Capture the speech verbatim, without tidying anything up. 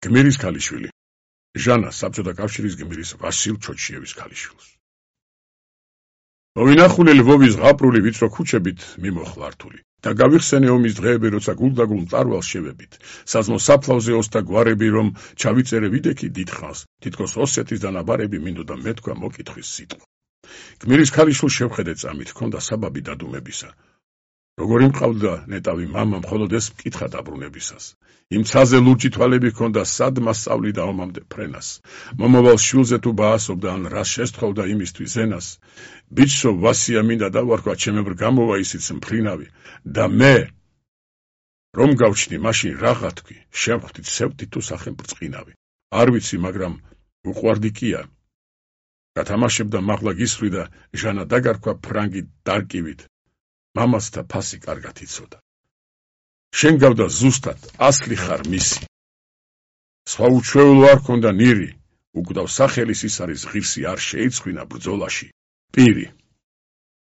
გმირის ქალიშვილი. ჟანა საბჭოთა კავშირის გმირის ვასილ ჩოჩიევის ქალიშვილს. მოვინახულე ლვოვის ზღაპრული ვიწრო ქუჩებით მიმოხლართული და გავიხსენე ომის დღეები, როცა გულდაგულ მწარვალს შევებით, საზმო საფლავზე ოსთა გვარები, რომ ჩავიწერე ვიდექი დიდხანს, თითქოს ოსეთის დანაბარები მინდოდა მეთქვა მოკითხვის სიტყვა. გმირის ქალიშვილს შევხედე წამით, ჰქონდა საბაბი დადუმებისა. როგორი მყავდა ნეტავი მამა, მხოლოდ ეს მკითხა დაბრუნებისას. იმ ცაზე ლურჯი თვალები ჰქონდა, სად მასწავლიდა ომამდე ფრენას. მომავალ შვილზე თუ ბაასობდა, ან რას შესთხოვდა იმისთვის ზენას. ბიჭსო, ვასია მინდა დავარქვა, ჩემებრ გამოვა ისიც მფრინავი. და მე, რომ გავჩნი, მაშინ რაღა თქვი, შევხვდი ცევდი თუ სახელმბრწყინავი. არ ვიცი, მაგრამ უყვარდი კია. გათამაშებდა მაღლა გისვლი და ჟანა დაგარქვა ფრანგი დარკივით. მამასთა ფასი კარგად იცოდა. შენ გავდა ზუსტად, ასლი ხარ მისი. სხვა უჩვეულო არ ქონდა ნირი, უკვდავ სახელის ის არის ღირსი, არ შეიცხვინა ბრძოლაში. პირი.